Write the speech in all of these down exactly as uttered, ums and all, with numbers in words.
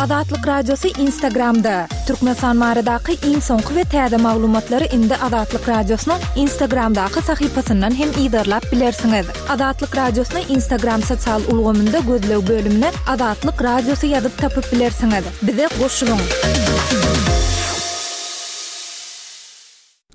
Azatlyk Radiosy Instagramda. Türkmenistan baradaky iň soňky we täze maglumatlary indi Azatlyk Radiosynyň Instagramdaky sahypasyndan hem yzarlap bilersiňiz. Azatlyk Radiosyny Instagram sosial ulgamynda gözleg bölümine Azatlyk Radiosy ýazyp tapyp bilersiňiz. Bize goşulyň.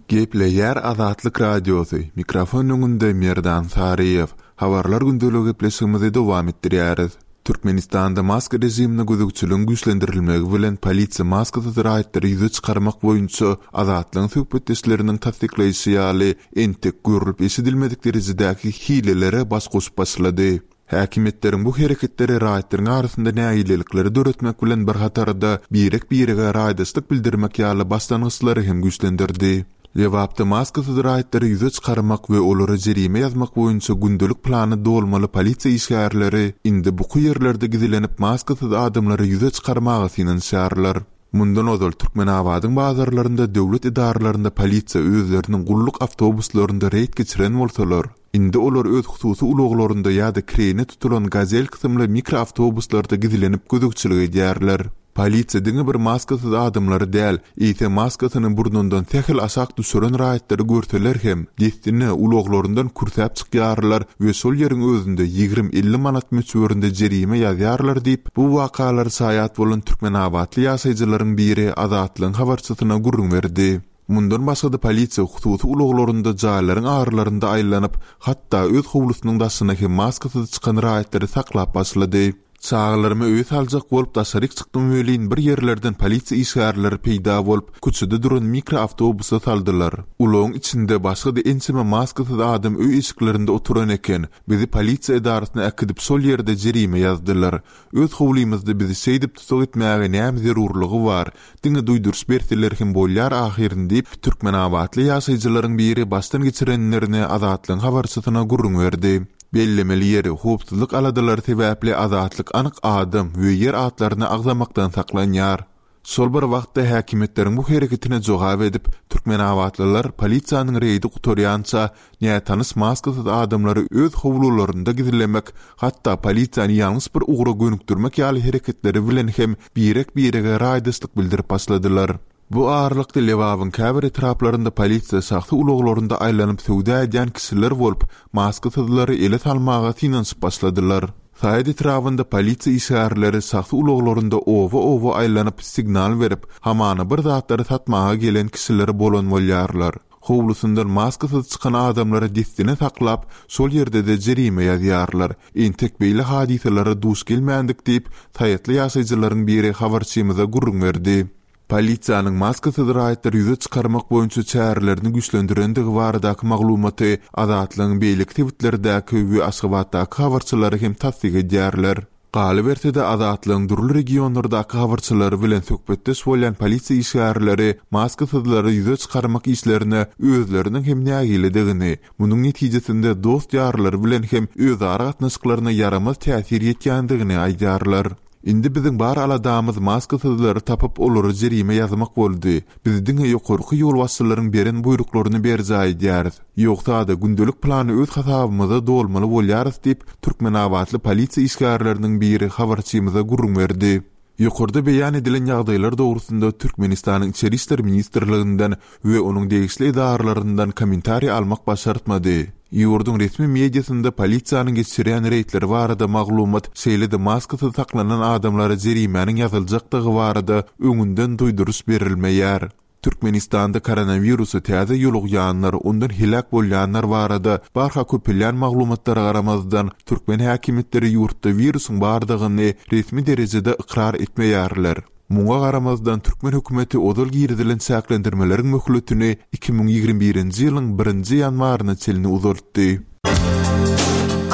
Gepleýär Azatlyk Radiosy. Mikrofon öňünde Merdan Saryýew. Habarlar gündeligi gepleşigimizi dowam etdirýäris. Türkmenistanda maska režimine gözegçiligiň güýçlendirilmegi bilen polisiýa maskasyz raýatlary ýüze çykarmak boýunça Azatlygyň söhbetdeşleriniň tassyklaýşy ýaly, entek görlüp eşidilmedik derejedäki hilelere baş goşup başlady. Häkimiýetleriň bu hereketleri raýatlaryň arasynda nägilelikleri döretmek bilen bir hatarda birek-birege raýdaşlyk bildirmek ýaly başlangyçlary hem güýçlendirdi. Lebapda maskasyz raýatlary ýüze çykarmak we olara jerime ýazmak boýunça gündelik plany dolmaly polisiýa işgärleri indi buky ýerlerde gizlenip maskasyz adamlary ýüze çykarmaga synanyşýarlar. Mundan ozal Türkmenabadyň bazarlarynda döwlet edaralarynda polisiýa özleriniň gulluk awtobuslarynda reýd geçiren bolsalar, indi olar öz hususy ulaglarynda ýa-da kireýine tutulan Gazel kysymly mikroawtobuslarda gizlenip gözegçilik edýärler. Polisiýa diňe bir maskasyz adamlary däl, eýse maskasyny burnundan sähel aşak düşüren raýatlary görseler hem, dessine ulaglaryndan kürsäp çykýarlar we şol ýeriň özünde ýigrimi-elli manat möçberinde jerime ýazýarlar diýip, bu wakalara şaýat bolan türkmenabatly ýaşaýjylaryň biri Azatlygyň habarçysyna gürrüň berdi. Mundan başga-da polisiýa hususy ulaglarynda jaýlaryň aralarynda aýlanyp, hatda öz howlusynyň daşyna hem maskasyz çykan raýatlary saklap başlady. Çagalarymy öýe saljak bolup daşaryk çykdym welin bir ýerlerden polisiýa işgärleri peýda bolup, köçede duran mikroawtobusa saldylar. Ulagyň içinde başga-da ençeme maskasyz adam öý eşiklerinde oturan eken. Bizi polisiýa edarasyna äkidip şol ýerde jerime ýazdylar. Öz howlymyzda bizi şeýdip tutuk etmäge näme zerurlygy bar? Diňe duýduryş berseler hem bolýar ahyryn diýip, türkmenabatly ýaşaýjylaryň biri başdan geçirenlerini Azatlygyň habarçysyna gürrüň berdi. Bellemeli ýeri, howpsuzlyk aladalary sebäpli Azatlyk anyk adam we ýer atlaryny agzamakdan saklanýar. Şol bir wagtda häkimiýetleriň bu hereketine jogap edip, türkmenabatlylar polisiýanyň reýdi gutarýança nätanyş maskasyz adamlary öz howlularynda gizlemek, hatda polisiýany ýalňyş bir ugra gönükdirmek ýaly hereketleri bilen hem birek-birege raýdaşlyk bildirip başladylar. Bu aralykda Lebabyň käbir etraplarynda polisiýa şahsy ulaglarynda aýlanyp söwda edýän kişiler bolup, maskasyzlary ele salmaga synanyşyp başladylar. Saýat etrabynda polisiýa işgärleri şahsy ulaglarynda oba-oba aýlanyp signal berip, hamana bir zatlary satmaga gelen kişiler bolan bolýarlar. Howlusyndan maskasyz çykan adamlary dessine saklap, şol ýerde-de jerime ýazýarlar. Entek beýle hadysalara duş gelmändik diýip, saýatly ýaşaýjylaryň biri habarçymyza gürrüň berdi. Polisiýanyň maskasyz raýatlary ýüze çykarmak boýunça çärelerini güýçlendirendigi baradaky maglumaty Azatlygyň beýleki sebitlerdäki we Aşgabatdaky habarçylary hem tassyk edýärler. Galyberse-de Azatlygyň dürli regionlardaky habarçylary bilen söhbetdeş bolýan polisiýa işgärleri maskasyzlary ýüze çykarmak işlerine özleriniň hem nägiledigini, munuň netijesinde dost-ýarlary bilen hem özara gatnaşyklaryna ýaramaz täsir ýetýändigini aýdýarlar. Indi biziň bar aladamyz maskasyzlary tapyp olara jerime ýazmak boldy. Biz diňe ýokarky ýolbaşçylaryň beren buýruklaryny berjaý edýäris. Ýogsa-da gündelik plany öz hasabymyza dolmaly bolýarys diýip, türkmenabatly polisiýa işgärleriniň biri habarçymyza gürrüň berdi. Ýokarda beýan edilen ýagdaýlar dogrusynda Türkmenistanyň Içeri işler ministrliginden we onuň degişli edaralaryndan kommentariý almak başartmady. Ýurduň resmi mediasynda polisiýanyň geçirýän reýdleri barada maglumat, şeýle-de maskasyz saklanan adamlara jerimäniň ýazyljakdygy barada öňünden duýduryş berilmeýär. Türkmenistanda koronawirusa täze ýolugýanlar, ondan heläk bolýanlar barada barha köpelýän maglumatlara garamazdan, türkmen häkimiýetleri ýurtda wirusyň bardygyny resmi derejede ykrar etmeýärler. Muňa garamazdan türkmen hökümeti ozal girizilen çäklendirmeleriň möhletini iki müň ýigrimi birinji ýylyň birinji ýanwaryna çenli uzaltdy.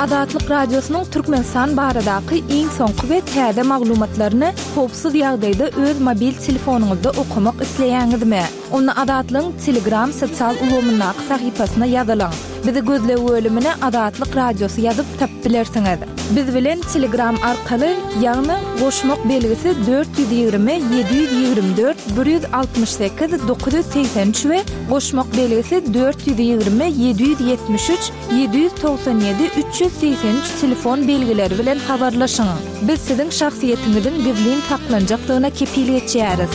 Azatlyk Radiosynyň Türkmenistan baradaky iň soňky we täze maglumatlaryny howpsuz ýagdaýda öz mobil telefonyňyzda okamak isleýäňizmi? Onda Azatlygyň Telegram sosial ulgamyndaky sahypasyna ýazylyň. Bizi gözleg bölümine Azatlyk Radiosy ýazyp tapyp bilersiňiz. Biz bilen Telegram arkaly, ýagny goşmak belgisi dört ýüz ýigrimi ýedi ýüz ýigrimi dört bir ýüz altmyş sekiz dokuz ýüz segsen üç we goşmak belgisi dört ýüz ýigrimi ýedi ýüz ýetmiş üç ýedi ýüz togsan ýedi üç ýüz segsen üç telefon belgileri bilen habarlaşyň. Biz siziň şahsyýetiňiziň gizlin saklanjakdygyna kepil geçýäris.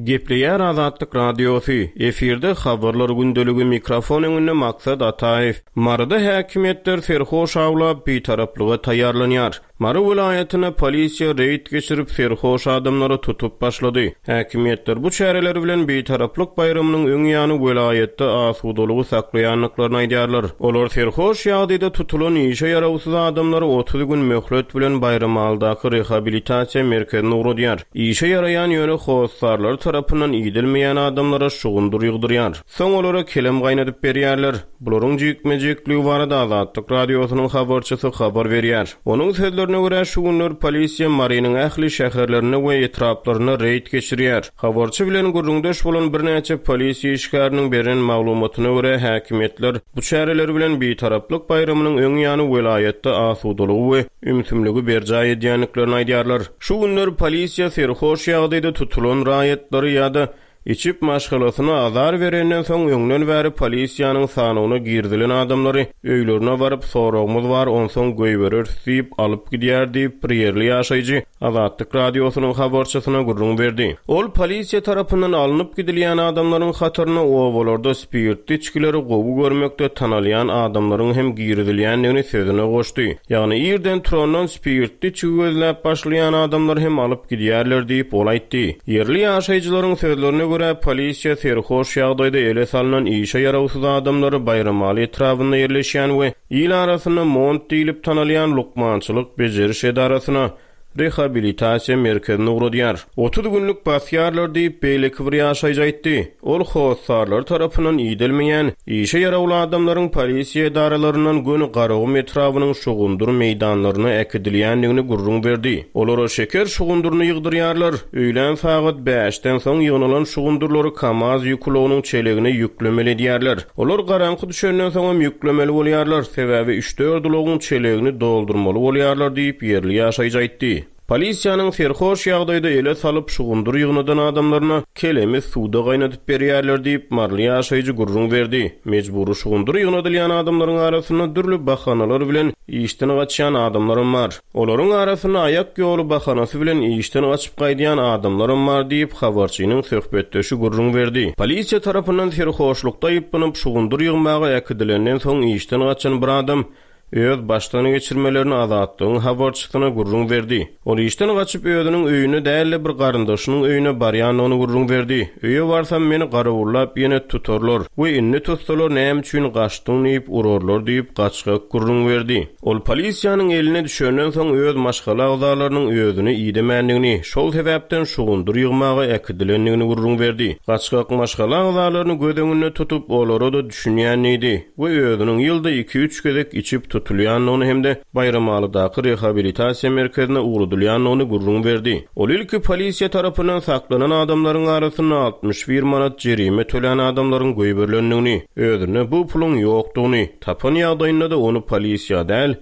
Gepleýär Azatlyk Radiosy. Efirde habarlar gündeligi, mikrofon öňünde Maksat Ataýew. Maryda häkimiýetler serhoş awlap, bitaraplyga taýýarlanýar. Mary welaýatynda polisiýa reýd geçirip, serhoş adamlary tutup başlady. Häkimiýetler bu çäreler bilen bitaraplyk baýramynyň öň ýany welaýatda asudalygy saklaýandyklaryny aýdýarlar. Olar serhoş ýagdaýda tutulan işe ýarawsyz adamlary otuz gün möhlet bilen Baýramalydaky rehabilitasiýa merkezine ugradýar. Işe ýaraýan ýöne hossarlary tarapyndan idilmeýän adamlara şugundyr ýygdyrýar. Soň olara kelem gaýnadyp berýärler. Bularyň jikme-jikligi barada Azatlyk Radiosynyň habarçysy habar berýär. Onuň sözlerine görä, şu günler polisiýa Marynyň ähli şäherlerinde we etraplarynda reýd geçirýär. Habarçy bilen gürrüňdeş bolan birnäçe polisiýa işgäriniň beren maglumatyna görä, häkimiýetler bu çäreler bilen bitaraplyk baýramynyň öň ýany welaýatda asudalygy we ümsümligi berjaý edýändiklerini aýdýarlar. Şu günler polisiýa serhoş ýagdaýda tutulan raýatlary ýa-da içip maşgalasyna azar berenden soň öňden bäri polisiýanyň sanawyna girizilen adamlary öýlerine baryp soragymyz bar, onsoň goýbereris diýip alyp gidýär diýip bir ýerli ýaşaýjy Azatlyk Radiosynyň habarçysyna gürrüň berdi. Ol polisiýa tarapyndan alnyp gidilýän adamlaryň hataryna obalarda spirtli içgileri gowy görmekde tanalýan adamlaryň hem girizilýändigini sözüne goşdy. Ýagny irden turandan spirtli içgi gözläp başlaýan adamlar hem alyp gidýärler diýip ol aýtdy. Ýerli ýaşaýjylaryň sözlerine görä polisiýa serhoş ýagdaýda ele salynan işe ýarawsyz adamlary Baýramaly etrabynda ýerleşýän we il arasynda Mont diýlip tanalýan lukmançylyk beceriş edarasyna rehabilitasiýa merkezine ugradýar. Otuz günlük basýarlar diýip beýleki bir ýaşaýjy aýtdy. Ol hossarlar tarapyndan idelmeýän işe ýarawly adamlaryň polisiýa edaralaryndan göni Garagum etrabynyň şugundyr meýdanlaryna äkidilýändigini gürrüň berdi. Olara şeker şugundyryny ýygdyrýarlar. Öýlän sagat bäşden soň ýygnalan şugundyrlary Kamaz ýükulagynyň çelegine ýüklemeli edýärler. Olar garaňky düşenden soň hem ýüklemeli bolýarlar. Sebäbi üç-dört ulagyň çelegini doldurmaly bolýarlar diýip ýerli ýaşaýjy aýtdy. Polisiýanyň serhoş ýagdaýda ele salyp şugundyr ýygnadan adamlaryna kelemi suwda gaýnadyp berýärler diýip maryly ýaşaýjy gürrüň berdi. Mejbury şugundyr ýygnadylýan adamlaryň arasynda dürli bahanalar bilen işden gaçýan adamlaram bar. Olaryň arasynda aýak ýoly bahanasy bilen işden gaçyp gaýdýan adamlaram bar diýip habarçynyň söhbetdeşi gürrüň berdi. Polisiýa tarapyndan serhoşlukda aýyplanyp şugundyr ýygmaga äkidilenden soň işden gaçan bir adam öz başdan geçirmelerini Azatlygyň habarçysyna gürrüň berdi. Ol işden gaçyp özüniň öýüne däl-de bir garyndaşynyň öýüne barýandygyny gürrüň berdi. Öýe barsam meni garawullap ýene tutarlar we indi tutsalar näme üçin gaçdyň diýip urarlar diýip gaçgak gürrüň berdi. Ol polisiýanyň eline düşenden soň öz maşgala agzalarynyň özüni idemändigini, şol sebäpden şugundyr ýygmaga äkidilendigini gürrüň berdi. Gaçgak maşgala agzalaryny göz öňünde tutup olara da düşünýänidi we özüniň ýylda iki-üç gezek içip tutulýandygyny hem-de Baýramalydaky rehabilitasiýa merkezine ugradylýandygyny gürrüň berdi. Ol ilki polisiýa tarapyndan saklanan adamlaryň arasynda altmyş bir manat jerime tölän adamlaryň goýberilendigini, özünde bu puluň ýokdugyny, tapan ýagdaýynda-da ony polisiýa däl,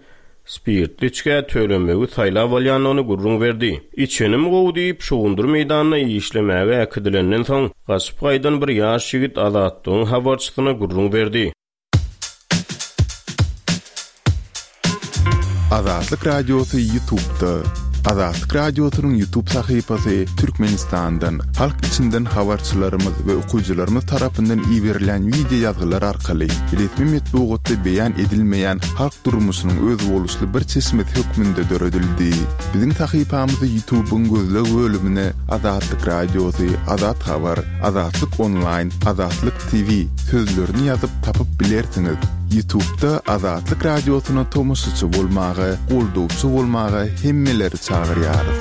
spirtli içgä tölemegi saýlap alýandygyny gürrüň berdi. Içenim gowy diýip şugundyr meýdanyna işlemäge äkidilenden soň gaçyp gaýdan bir ýaş ýigit Azatlygyň habarçysyna gürrüň berdi. Azatlyk Radiosy YouTube'da. Azatlyk Radiosynyň YouTube sahypasy Türkmenistandan, halk içinden habarçylarymyz we okyjylarymyz tarapyndan iberilen video ýazgylar arkaly resmi metbugatda beýan edilmeýän halk durmuşynyň özboluşly bir çeşmesi hökmünde döredildi. Biziň sahypamyzy YouTube'yň gözleg bölümine Azatlyk Radiosy, Azat Habar, Azatlyk Online, Azatlyk T V sözlerini ýazyp tapyp bilersiňiz. YouTube'da Azatlyk Radiosyna tomaşaçy bolmaga, goldawçy bolmaga hemmeleri çagyrýarys.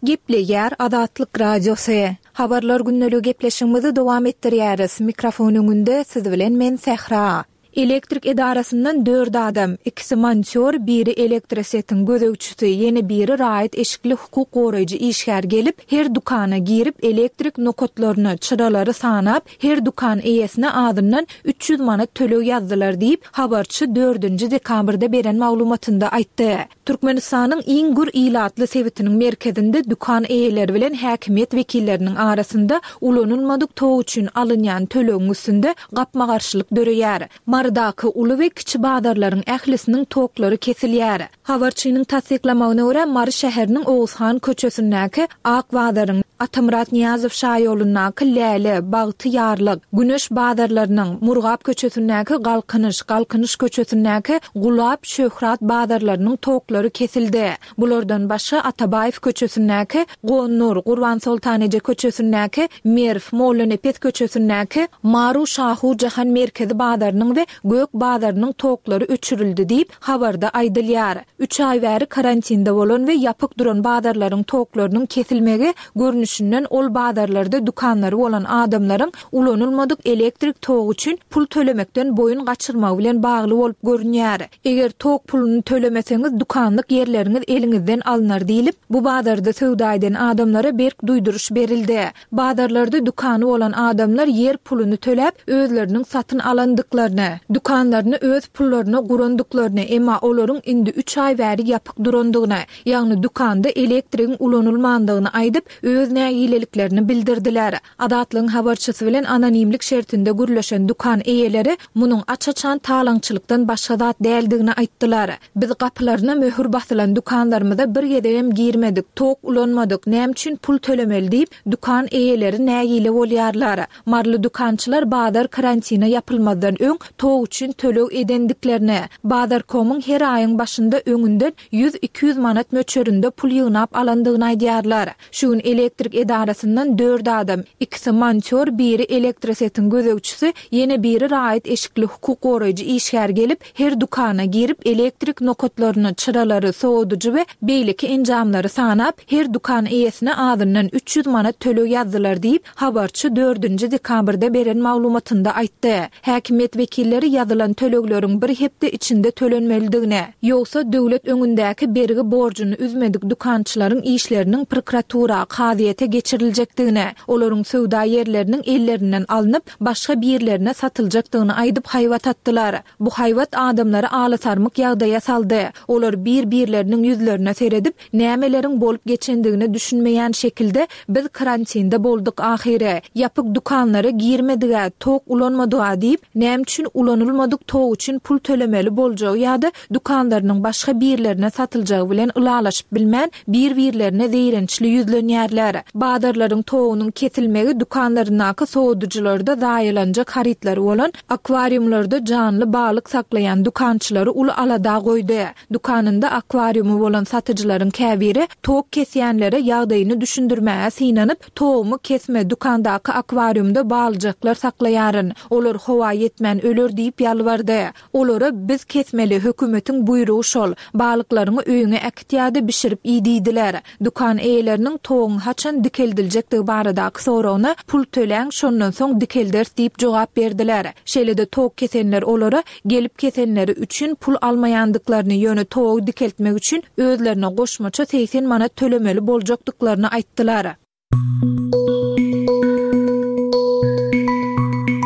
Gepleýär Azatlyk Radiosy. Habarlar günlük gepleşigimizi dowam etdirýäris. Mikrofon öňünde siz bilen men Sähra. Elektrik edarasyndan dört adam, ikisi montýor, biri elektrosetiň gözegçisi, ýene biri raýat eşikli hukuk goraýjy işgär gelip, her dükana girip elektrik nokatlaryny, çyralary sanap, her dükan eýesine azyndan üç ýüz manat töleg ýazdylar diýip, habarçy dördünji dekabrda beren maglumatynda aýtdy. Türkmenistanyň iň gür ilatly sebitiniň merkezinde dükan eýeleri bilen häkimiýet wekilleriniň arasynda ulanylmadyk tok üçin alynýan tölegiň üstünde gapma-garşylyk döreýär. Marydaky uly we kiçi bazarlaryň ählisiniň toklary kesilýär. Habarçynyň tassyklamagyna görä, Mary şäheriniň Oguzhan köçesindäki Ak bazaryň, Atamyrat Nyýazow şaýolundaky Läle, Bagty ýarlyk, Güneş bazarlarynyň, Murgap köçesindäki Galkynyş, Galkynyş köçesindäki Gulap, Şöhrat bazarlarynyň toklary kesildi. Bulardan başga Atabaýew köçesindäki Gonnur, Gurbansoltaneje köçesindäki Merw, Mollanepes köçesindäki Maru Şahu Jahan merkezi bazarynyň we Gök bazarynyň toklary öçürildi diýip, habarda aýdylýar. Üç aý bäri karantinde bolan we ýapyk duran bazarlaryň toklarynyň kesilmegi görnüşinden ol bazarlarda dükanlary bolan adamlaryň ulanylmadyk elektrik togy üçin pul tölemekden boýun gaçyrmagy bilen bagly bolup görünýär. Eger tok puluny tölemeseňiz dükanlyk ýerleriňiz eliňizden alnar diýlip, bu bazarda söwda eden adamlara berk duýduryş berildi. Bazarlarda dükany bolan adamlar ýer puluny töläp, özleriniň satyn alandyklaryny, dükanlaryny öz pullaryna gurandyklaryny, emma olaryň indi üç aý bäri ýapyk durandygyny, ýagny dükanda elektrigiň ulanylmandygyny aýdyp, öz nägileliklerini bildirdiler. Azatlygyň habarçysy bilen anonimlik şertinde gürleşen dükan eýeleri munuň aç-açan talaňçylykdan başga zat däldigini aýtdylar. Biz gapylaryna möhür basylan dükanlarymyza bir gezegem girmedik, tok ulanmadyk, näme üçin pul tölemeli diýip, dükan eýeleri nägile bolýarlar. Maryly dükançylar bazar karantina ýapylmazdan öň tok üçin töleg edendiklerini, Bazarkomyň her aýyň başynda öňünden ýüz iki ýüz manat möçberinde pul ýygnap alandygyny aýdýarlar. Şu gün elektrik edarasyndan dört adam, ikisi montýor, biri elektrosetiň gözegçisi, ýene biri raýat eşikli hukuk goraýjy işgär gelip, her dükana girip elektrik nokatlaryny, çyralary, sowadyjy we beýleki enjamlary sanap, her dükan eýesine azyndan üç ýüz manat töleg ýazdylar diýip, habarçy dördünji dekabrda beren maglumatynda aýtdy. Häkimiýet wekilleri ýazylan tölegleriň bir hepde içinde tölenmelidigini, ýogsa döwlet öňündäki bergi borjuny üzmedik dükançylaryň işleriniň prokuratura, kazyýete geçiriljekdigini, olaryň söwda ýerleriniň ellerinden alnyp, başga birlerine satyljakdygyny aýdyp haýbat atdylar. Bu haýbat adamlary alasarmyk ýagdaýa saldy. Olar bir-birleriniň ýüzlerine seredip, nämeleriň bolup geçendigine düşünmeýän şekilde biz karantinde bolduk ahyry. Ýapyk dükanlara girmedige, tok ulanmadyga diýip, näme üçin ulanylmadyk tok üçin pul tölemeli boljagy ýa-da dükanlarynyň başga birlerine satyljagy bilen ylalaşyp bilmän, bir-birlerine zeýrençli ýüzlenýärler. Bazarlaryň togunyň kesilmegi dükanlaryndaky sowadyjylarda zaýalanjak harytlary bolan akwarýumlarda janly balyk saklaýan dükançylary uly alada goýdy. Dükanynda akwarýumy bolan satyjylaryň käbiri tok kesýänlere ýagdaýyny düşündirmäge synanyp, togumy kesme, dükandaky akwarýumda balyjaklar saklaýaryn, olar howa ýetmän öler diýip ýalbardy. Olara biz kesmeli, hökümetiň buýrugy şol, balyklaryňy öýüňe äkit ýa-da bişirip iý diýdiler. Dükan eýeleriniň toguň haçan dikeldiljekdigi baradaky soragyna pul töläň, şondan soň dikelderis diýip jogap berdiler. Şeýle-de tok kesenler olara gelip kesenleri üçin pul almaýandyklaryny, ýöne togy dikeltmek üçin özlerine goşmaça segsen manat tölemeli boljakdyklaryny aýtdylar.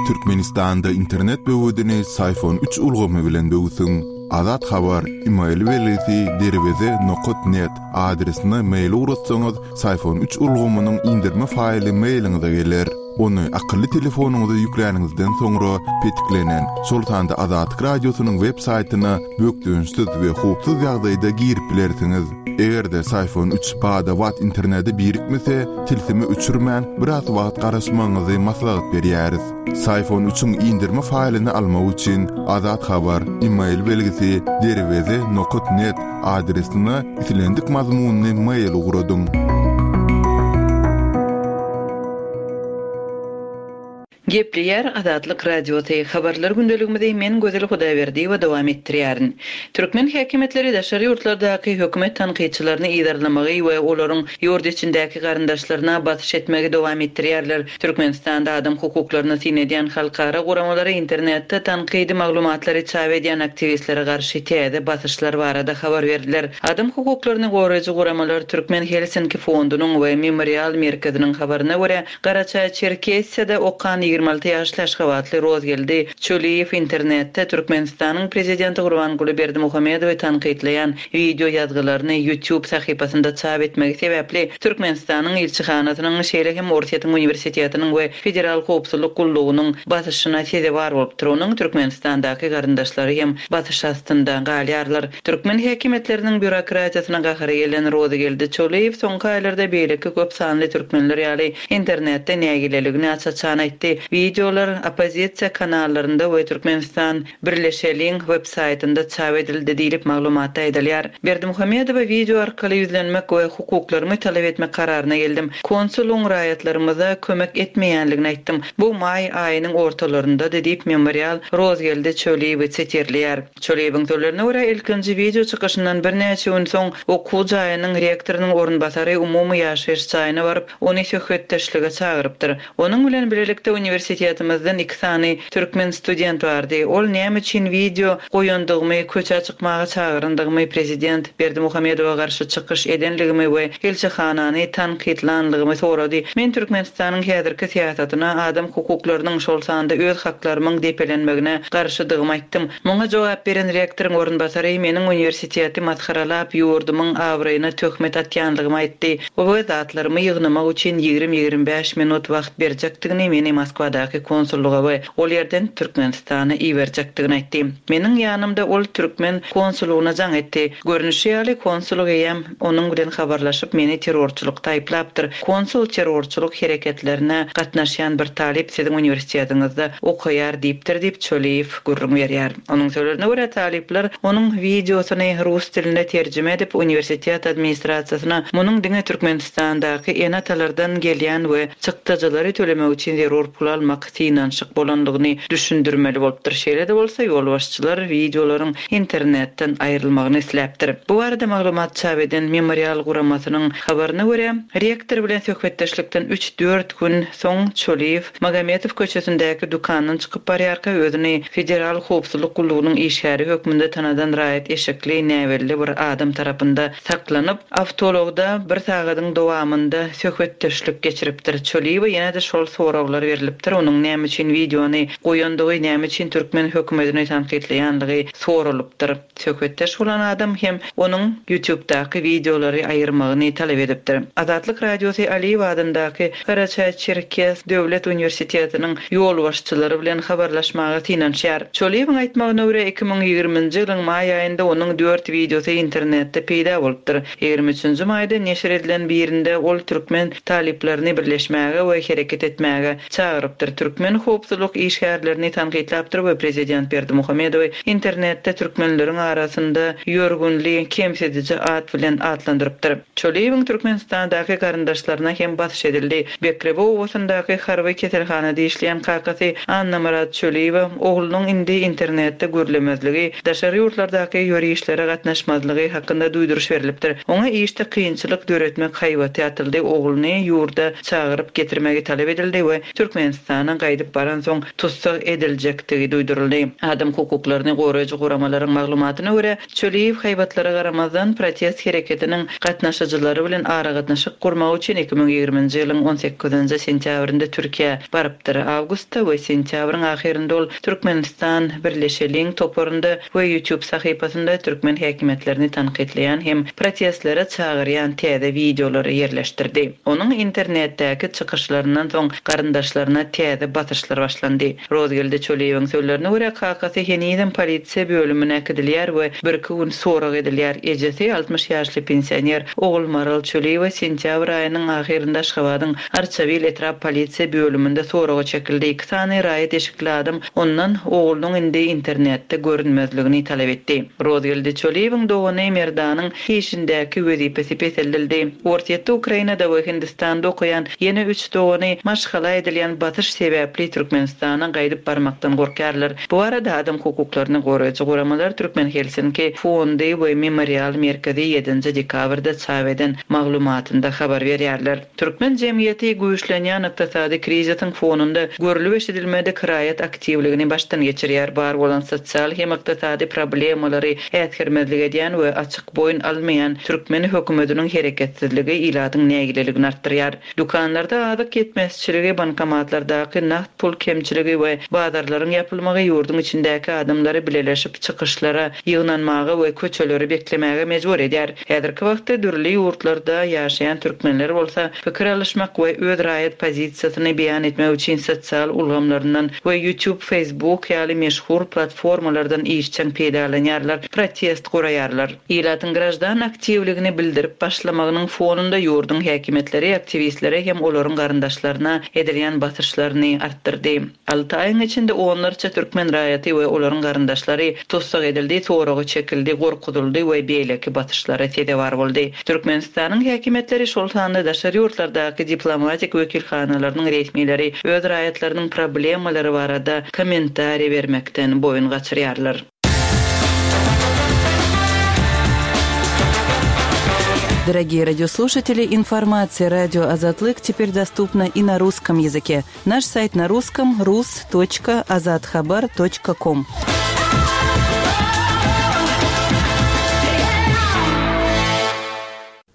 Türkmenistanda internet böwedini Syfon üç ulgamy bilen böwsüň. Azat Habar, email belgisi derweze nokat net adresine mail ugratsaňyz, Syfon üç ulgamynyň indirme faýly mailiňize geler. Ony akylly telefonyňyza ýükläniňizden soňra petiklenen, şol sanda Azatlyk Radiosynyň web saýtyna bökdençsiz we howpsuz ýagdaýda girip bilersiňiz. Eger-de Syfon üç bada-bat internete birikmese, tilsimi öçürmän biraz wagt garaşmagyňyzy maslahat berýäris. Syfon üçiň indirme faýlyny almak üçin Azat Habar, email belgisi derweze nokat net adresine islendik mazmunyny mail ugradyň. Gepleýär Azatlyk Radiosy, Habarlar gündeligimizi men Gözel Hudaýberdiýewa dowam etdirýärin. Türkmen häkimiýetleri daşary ýurtlardaky hökümet tankytçylaryny yzarlamagy we olaryň ýurt içindäki garyndaşlaryna basyş etmegi dowam etdirýärler. Türkmenistanda adam hukuklaryna syn edýän halkara guramalary internetde tankydy maglumatlary çap edýän aktiwistlere garşy täze basyşlar barada habar berdiler. Adam hukuklaryny goraýjy guramalar Türkmen Helsinki fondunyň we Memorial merkeziniň habaryna görä, Garaçaý-Çerkesiýada okan ýigrimi alty ýaşly aşgabatly Rozgeldi Çöliýew internetde Türkmenistanyň prezidenti Gurbanguly Berdimuhamedowy tankytlaýan wideo ýazgylaryny YouTube sahypasynda çap etmegi sebäpli Türkmenistanyň ilçihanasynyň, şeýle hem Orsýetiň uniwersitetiniň we Federal howpsuzlyk gullugynyň basyşyna sezewar bolupdyr. Onuň Türkmenistandaky garyndaşlary hem basyş astynda galýarlar. Türkmen häkimiýetleriniň býurokratiýasyna gahary gelen Rozgeldi Çöliýew soňky aýlarda beýleki köp sanly türkmenler ýaly internetde nägileligini aç-açan aýtdy. Wideolar oppozisiýa kanallarynda we Türkmenistan Birleşeliň web saýtynda çap edildi diýlip maglumatda aýdylýar. Berdimuhamedowa wideo arkaly ýüzlenmek we hukuklarymy talap etmek kararyna geldim. Konsulyň raýatlarymyza kömek etmeýänligini aýtdym. Bu maý aýynyň ortalarynda diýip Memorial Rozgeldi Çöliýewi sitirleýär. Çöliýewiň sözlerine görä ilkinji wideo çykyşyndan birnäçe gün soň okuw jaýynyň rektorynyň orunbasary umumy ýaşaýyş jaýyna baryp, ony söhbetdeşlige çagyrypdyr. Onuň bilen birlikde uniwersitetimizden iki sany türkmen student bardy. Ol näme üçin wideo goýandygymy, köçä çykmaga çagyryndygymy, prezident Berdimuhamedowa garşy çykyş edenligimi we ilçihanany tankytlanlygymy sorady. Men Türkmenistanyň häzirki syýasatyna, adam hukuklarynyň şol sanda öz haklarymyň depelenmegine garşydygymy aýtdym. Muňa jogap beren rektoryň orunbasary meniň uniwersiteti masgaralap ýurdumyň abraýyna töhmet atýanlygymy aýtdy. O we zatlarymy ýygnamak üçin ýigrimi-ýigrimi bäş minut wagt berjekdigini meni Moskwadaky konsullyga we ol ýerden Türkmenistana iberjekdigini aýtdy. Meniň ýanymda ol türkmen konsullygyna jaň etdi. Görnüşi ýaly konsullyk eýem onuň bilen habarlaşyp meni terrorçylykda aýyplapdyr. Konsul terrorçylyk hereketlerine gatnaşýan bir talyp siziň uniwersitetiňizde okaýar diýipdir diýip Çöliýew gürrüň berýär. Onuň sözlerine görä talyplar onuň wideosyny rus dilinde terjime edip uniwersitet administrasiýasyna munuň diňe Türkmenistandaky ene-atalardan gelýän we çykdajylary tölemek üçin zerur pul almak synanyşyk bolanlygyny düşündirmeli bolupdyr. Şeýle-de bolsa ýolbaşçylar wideolaryň internetden aýrylmagyny isläpdir. Bu barada maglumat çap eden Memorial guramasynyň habaryna görä, rektor bilen söhbetdeşlikden üç-dört gün soň Çöliýew Magometow köçesindäki dükandan çykyp barýarka özüni Federal howpsuzlyk gullugynyň işgäri hökmünde tanadan raýat eşekli näbelli bir adam tarapynda saklanyp, awtologda bir sagadyň dowamynda söhbetdeşlik geçiripdir. Çöliýewe ýene-de şol soraglar berilipdir. Onuň näme üçin wideony goýandygy, näme üçin türkmen hökümetini tankytlaýanlygy soralypdyr. Söhbetdeş bolan adam hem onuň YouTube'daky wideolary aýyrmagyny talap edipdir. Azatlyk Radiosy Aliýew adyndaky Garaçaý-Çerkes Döwlet Uniwersitetiniň ýolbaşçylary bilen habarlaşmaga synanyşýar. Çöliýewiň aýtmagyna görä iki müň ýigriminji ýylyň maý aýynda onuň dört wideosy internetde peýda bolupdyr. Ýigrimi üçünji maýda neşir edilen birinde ol türkmen talyplaryny birleşmäge we hereket etmäge çagyrypdyr. Türkmen howpsuzlyk işgärlerini tankytlapdyr we prezident Berdimuhamedowy internetde türkmenleriň arasynda ýörgünli kemsidiji at bilen atlandyrypdyr. Çöliýewiň Türkmenistandaky garyndaşlaryna hem basyş edildi. Bekrebe obasyndaky harby keselhanada işleýän kakasy Annamyrat Çöliýewe oglunyň indi internetde görlemezligi, daşary ýurtlardaky ýörişlere gatnaşmazlygy hakynda duýduryş berilipdir. Oňa işde kynçylyk döretmek haýbaty atyldy, ogluny ýurda çagyryp getirmegi talap edildi we Türkmenistana gaýdyp baran soň tussag ediljekdigi duýduryldy. Adam hukuklaryny goraýjy guramalaryň maglumatyna görä, Çöliýew haýbatlara garamazdan protest hereketiniň gatnaşyjylary bilen aragatnaşyk gurmak üçin iki müň ýigriminji ýylyň on sekizinji sentýabrynda Türkiýä barypdyr. Awgustda we sentýabryň ahyrynda ol Türkmenistan Birleşeliň toparynda we YouTube sahypasynda türkmen häkimiýetlerini tankytlaýan hem protestlere çagyrýan täze wideolary ýerleşdirdi. Onuň internetdäki çykyşlaryndan soň garyndaşlaryna täze basyşlar başlandy. Rozgeldi Çöliýewiň sözlerine görä kakasy henizem polisiýa bölümine äkidilýär we bir iki gün sorag edilýär. Ejesi altmyş ýaşly pensioner Ogulmaral Çöliýewa sentýabr aýynyň ahyrynda Aşgabadyň Arçabil etrap polisiýa bölüminde soraga çekildi. Iki sany raýat eşikli adam ondan oglunyň indi internetde görünmezligini talap etdi. Rozgeldi Çöliýewiň dogany Merdanyň işindäki wezipesi peseldildi. Orsýetde, Ukrainada we Hindistanda okaýan ýene üç dogany maşgala edilýän basyş Basyş sebäpli Türkmenistana gaýdyp barmakdan gorkarlar. Bu arada adam hukuklaryny goraýjy guramalar Türkmen Helsinki fondy we Memorial merkezi ýedinji dekabrda çap eden maglumatynda habar berýärler. Türkmen jemgyýeti güýçlenýän ykdysady krizisiň fonunda görülip eşidilmedik raýat aktiwligini başdan geçirýär. Bar bolan sosial hem ykdysady problemalary äsgermezlik edýän we açyk boýun almaýan türkmen hökümetiniň hereketsizligi ilatyň nägileligini artdyrýar. Dükanlarda azyk ýetmezçiligi, bankomatlardaky nagt pul kemçiligi we bazarlaryň ýapylmagy ýurduň içindäki adamlary bileleşip çykyşlara, ýygnanmaga we köçeleri beklemäge mejbur edýär. Häzirki wagtda dürli ýurtlarda ýaşaýan türkmenler bolsa pikir alyşmak we öz raýat pozisiýasyny beýan etmek üçin sosial ulgamlaryndan we YouTube, Facebook ýaly meşhur platformalardan işjeň peýdalanýarlar, protest guraýarlar. Ilatyň grajdan aktiwligini bildirip başlamagynyň fonunda ýurduň häkimiýetleri aktiwistlere hem olaryň garyndaşlaryna edilýän basyşlaryny artdyrdy. Alty aýyň içinde onlarça türkmen raýaty we olaryň garyndaşlary tussag edildi, soragy çekildi, gorkuzyldy we beýleki basyşlara sezewar boldy. Türkmenistanyň häkimiýetleri şol sanda daşary ýurtlardaky diplomatik wekilhanalarynyň resmileri öz raýatlarynyň problemalary barada kommentariý bermekden boýun gaçyrýarlar. Дорогие радиослушатели, информация радио Азатлык теперь доступна и на русском языке. Наш сайт на русском rus точка azathabar точка ком.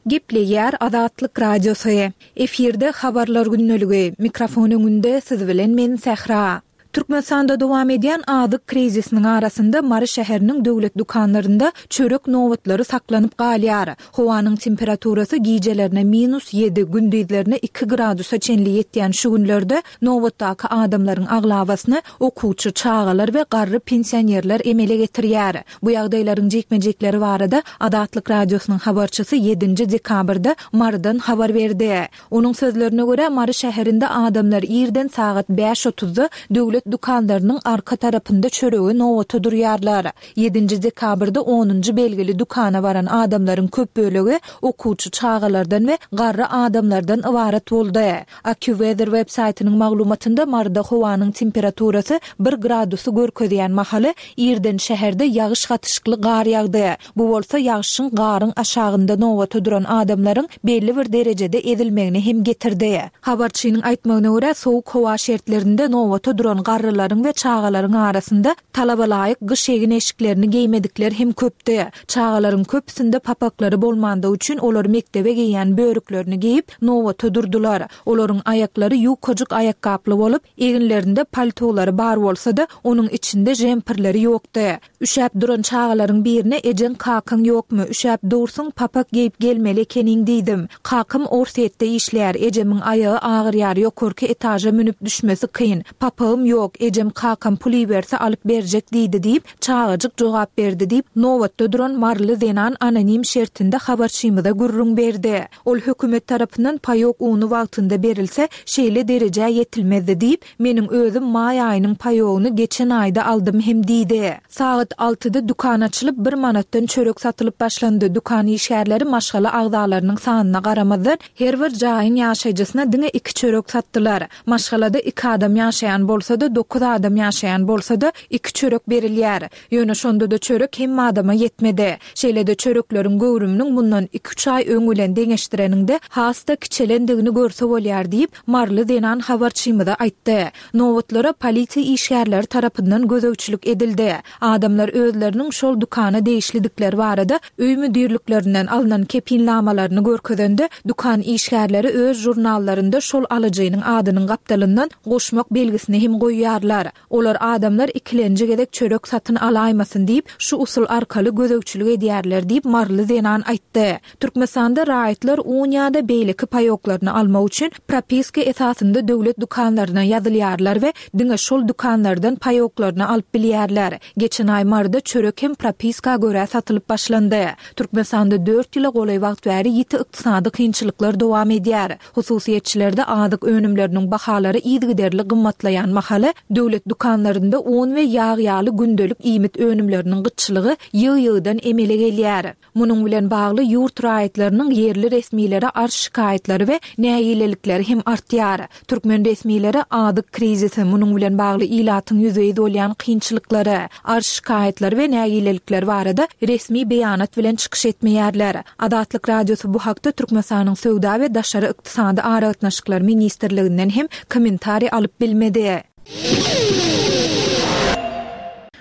Gepleýär Azatlyk Radiosy. Efirde habarlar günlügi. Mikrofon öňünde siz bilen men Sähra. Türkmenistanda dowam edýän azyk krizisiniň arasynda Mary şäheriniň döwlet dükanlarynda çörek nobatlary saklanyp galýar. Howanyň temperaturasy gijelerine minus ýedi, gündizlerine iki gradusa çenli ýetýän şu günlerde nobatdaky adamlaryň aglabasyny okuwçy çagalar we garry pensionerler emele getirýär. Bu ýagdaýlaryň jikme-jikleri barada Azatlyk Radiosynyň habarçysy ýedinji dekabrda Marydan habar berdi. Onuň sözlerine görä Mary şäherinde adamlar irden sagat bäş otuzda döwlet dükanlarynyň arka tarapynda çöregi nobata durýarlar. Ýedinji dekabrda onunjy belgili dükana baran adamlaryň köp bölegi okuwçy çagalardan we garry adamlardan ybarat boldy. AccuWeather web saýtynyň maglumatynda Maryda howanyň temperaturasy bir gradusy görkezýän mahaly irden şäherde ýagyş gatyşykly gar ýagdy. Bu bolsa ýagyşyň garyň aşagynda nobata duran adamlaryň belli bir derejede ezilmegine hem getirdi. Habarçynyň aýtmagyna görä sowuk howa şertlerinde nobata duran garrylaryň we çagalaryň arasynda talabalaýyk gyş egin eşiklerini geýmedikler hem köpdi. Çagalaryň köpüsinde papaklary bolmandygy üçin olar mektebe geýen börüklerini geýip nobata durdular. Olaryň aýaklary ýukajyk aýakgaply bolup, eginlerinde paltolary bar bolsa-da, onuň içinde jemperleri ýokdy. Üşäp duran çagalaryň birine ejeň kakaň ýokmy? Üşäp dursuň, papak geýip gelmeli ekeniň diýdim. Kakam Orsýetde işleýär, ejemiň aýagy agyrýar, ýokarky etaža münüp düşmesi kyn. Papagym ýok, ejem kakam pul iberse alyp berjek diýdi diýip, çagajyk jogap berdi diýip, nobatda duran Maryly zenan anonim şertinde habarçymyza gürrüň berdi. Ol hökümet tarapyndan paýok uny wagtynda berilse, şeýle derejä ýetilmezdi diýip, meniň özüm maý aýynyň paýogyny geçen aýda aldym hem diýdi. Sagat altyda dükan açylyp, bir manatdan çörek satylyp başlandy. Dükan işgärleri maşgala agzalarynyň sanyna garamazdan her bir jaýyň ýaşaýjysyna diňe iki çörek satdylar. Maşgalada iki adam ýaşaýan bolsa-da, dokuz adam ýaşaýan bolsa-da iki çörek berilýär. Ýöne şonda-da çörek hem adama ýetmedi. Şeýle-de çörekleriň göwrüminiň mundan iki-üç aý öň bilen deňeşdireniňde has-da kiçelendigini görse bolýar diýip, Maryly zenan habarçymyza aýtdy. Nobatlara polisiýa işgärleri tarapyndan gözegçilik edildi. Adamlar özleriniň şol dükana degişlidikleri barada öý müdirliklerinden alynan kepilnamalaryny görkezende, dükan işgärleri öz jurnallarynda şol alyjynyň adynyň gapdalyndan goşmak belgisini hem goýýarlar. Olar adamlar ikilenji gezek çörek satyn alaýmasyn diýip, şu usul arkaly gözegçilik edýärler diýip Maryly zenan aýtdy. Türkmenistanda raýatlar un ýa-da beýleki paýoklaryny almak üçin propiska esasynda döwlet dükanlaryna ýazylýarlar we diňe şol dükanlardan paýoklaryny alyp bilýärler. Geçen aý Maryda çörek hem propiska görä satylyp başlandy. Türkmenistanda dört ýyla golaý wagt bäri ýiti ykdysady kynçylyklar dowam edýär. Hususyýetçilerde azyk önümleriniň bahalary yzygiderli gymmatlaýan mahaly Türkmenistanda döwlet dükanlarynda un we ýag ýaly gündelik iýmit önümleriniň gytçylygy ýygy-ýygydan emele gelýär. Munuň bilen bagly ýurt raýatlarynyň ýerli resmilere arz-şikaýatlary we nägilelikleri hem artýar. Türkmen resmileri azyk krizisi, munuň bilen bagly ilatyň ýüzbe-ýüz bolýan kynçylyklary, arz-şikaýatlary we nägilelikleri barada resmi beýanat bilen çykyş etmeýärler. Azatlyk Radiosy bu hakda Türkmenistanyň Söwda we daşary ykdysady aragatnaşyklar ministrliginden hem kommentariý alyp bilmedi.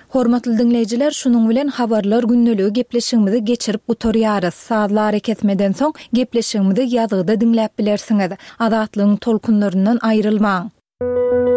Hormatly diňleýjiler, şunuň bilen Habarlar gündeligi gepleşigimizi geçirip gutarýarys. Sazly arakesmeden soň gepleşigimizi ýazgyda diňläp bilersiňiz. Azatlygyň tolkunlaryndan aýrylmaň.